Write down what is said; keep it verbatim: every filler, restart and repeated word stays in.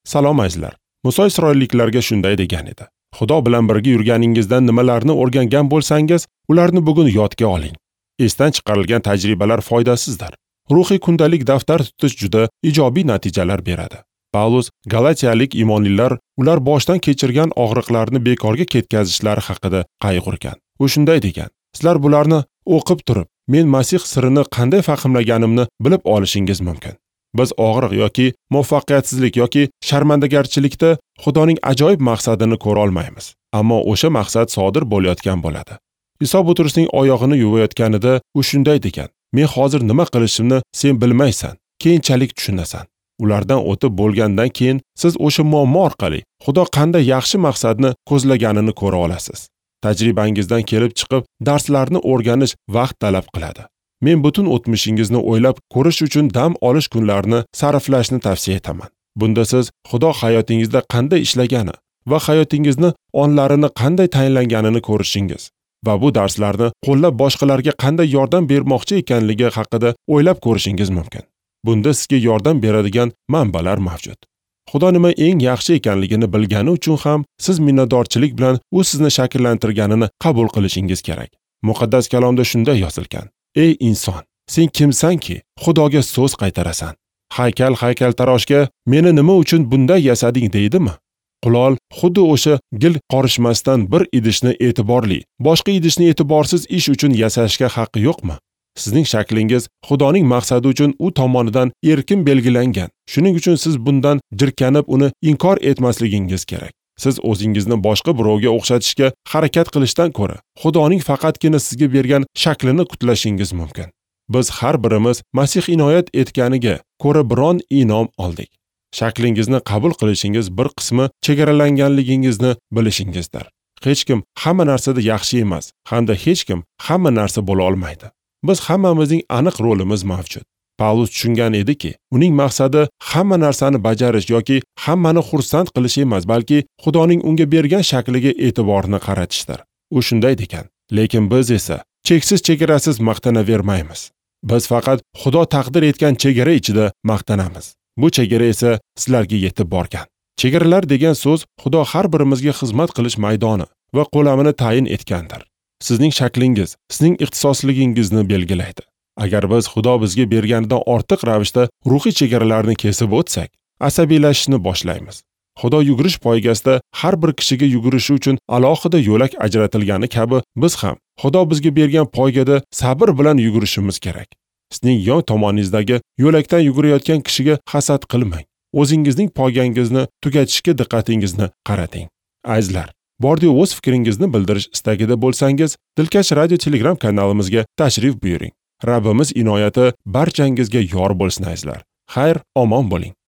Salom azizlar. Muso isroilliklarga shunday degan edi: Xudo bilan birga yurganingizdan nimalarni o'rgangan bo'lsangiz, ularni bugun yodga oling. Esdan chiqarilgan tajribalar foydasizdir. Ruhiy kundalik daftar tutish juda ijobiy natijalar beradi. Pavlus Galatiyalik iymonlilar ular boshdan kechirgan og'riqlarni bekorga ketkazishlari haqida qayg'urgan. U shunday degan: Sizlar bularni o'qib turib, men Masih sirini qanday fahmlaganimni bilib olishingiz mumkin. Biz og'riq yoki muvaffaqiyatsizlik yoki sharmandagarchilikda Xudoning ajoyib maqsadini ko'ra olmaymiz. Ammo o'sha maqsad sodir bo'layotgan bo'ladi. Iso Butrusning oyog'ini yuvayotganida u shunday degan: Men hozir nima qilishimni sen bilmaysan, keyinchalik tushunasan. Ulardan o'tib bo'lgandan keyin siz o'sha muammo orqali Xudo qanday yaxshi maqsadni ko'zlaganini ko'ra olasiz. Tajribangizdan kelib chiqib darslarni o'rganish vaqt talab qiladi. Men butun o'tmishingizni o'ylab ko'rish uchun dam olish kunlarini sarflashni tavsiya etaman. Bunda siz Xudo hayotingizda qanday ishlagani va hayotingizni onlarini qanday tayinlanganini ko'rishingiz va bu darslarni qo'llab boshqalarga qanday yordam bermoqchi ekanligi haqida o'ylab ko'rishingiz mumkin. Bunda sizga yordam beradigan manbalar mavjud. Xudo nima eng yaxshi ekanligini bilgani uchun ham siz minnatdorchilik bilan u sizni shakllantirganini qabul qilishingiz kerak. Muqaddas kalomda shunday yozilgan: Ey inson, sen kimsanki Xudoga so'z qaytarasan? Haykal haykaltaroshga meni nima uchun bunday yasading deydimi? Qulol xuddi o'sha gil qorishmasdan bir idishni e'tiborli, boshqa idishni e'tiborsiz ish uchun yasashga haqqi yo'qmi? Sizning shaklingiz Xudoning maqsadi uchun u tomonidan erkin belgilangan. Shuning uchun siz bundan jirkanib uni inkor etmasligingiz kerak. Siz o'zingizni boshqa birovga o'xshatishga harakat qilishdan ko'ra, Xudoning faqatgina sizga bergan shaklini kutlashingiz mumkin. Biz har birimiz Masih inoyat etganiga ko'ra biron inom oldik. Shaklingizni qabul qilishingiz bir qismi chegaralanganligingizni bilishingizdir. Hech kim hamma narsada yaxshi emas, hamda hech kim hamma narsa bo'la olmaydi. Biz hammamizning aniq rolimiz mavjud. Pavlus tushungan ediki, uning maqsadi hamma narsani bajarish yoki hammani xursand qilish emas, balki Xudoning unga bergan shakliga e'tiborni qaratishdir. U shunday degan: Lekin biz esa cheksiz chegarasiz maqtanavermaymiz. Biz faqat Xudo taqdir etgan chegara ichida maqtanamiz. Bu chegara esa sizlarga yetib borgan. Chegaralar degan so'z Xudo har birimizga xizmat qilish maydoni va qo'lamini tayin etgandir. Sizning shaklingiz, sizning ixtisosligingizni belgilaydi. Agar biz Xudo bizga berganidan ortiq ravishda ruhiy chegaralarni kesib o'tsak, asabiylashishni boshlaymiz. Xudo yugurish poygasida har bir kishiga yugurishi uchun alohida yo'lak ajratilgani kabi biz ham Xudo bizga bergan poygada sabr bilan yugurishimiz kerak. Sizning yon tomoningizdagi yo'lakdan yugurayotgan kishiga hasad qilmang. O'zingizning poygangizni tugatishga diqqatingizni qarating. Azizlar, bordi o'z fikringizni bildirish istagida bo'lsangiz, Dilkash Radio Telegram kanalimizga tashrif buyuring. Rabbimiz inoyati barchangizga yor bo'lsin azizlar. Xayr, omon bo'ling.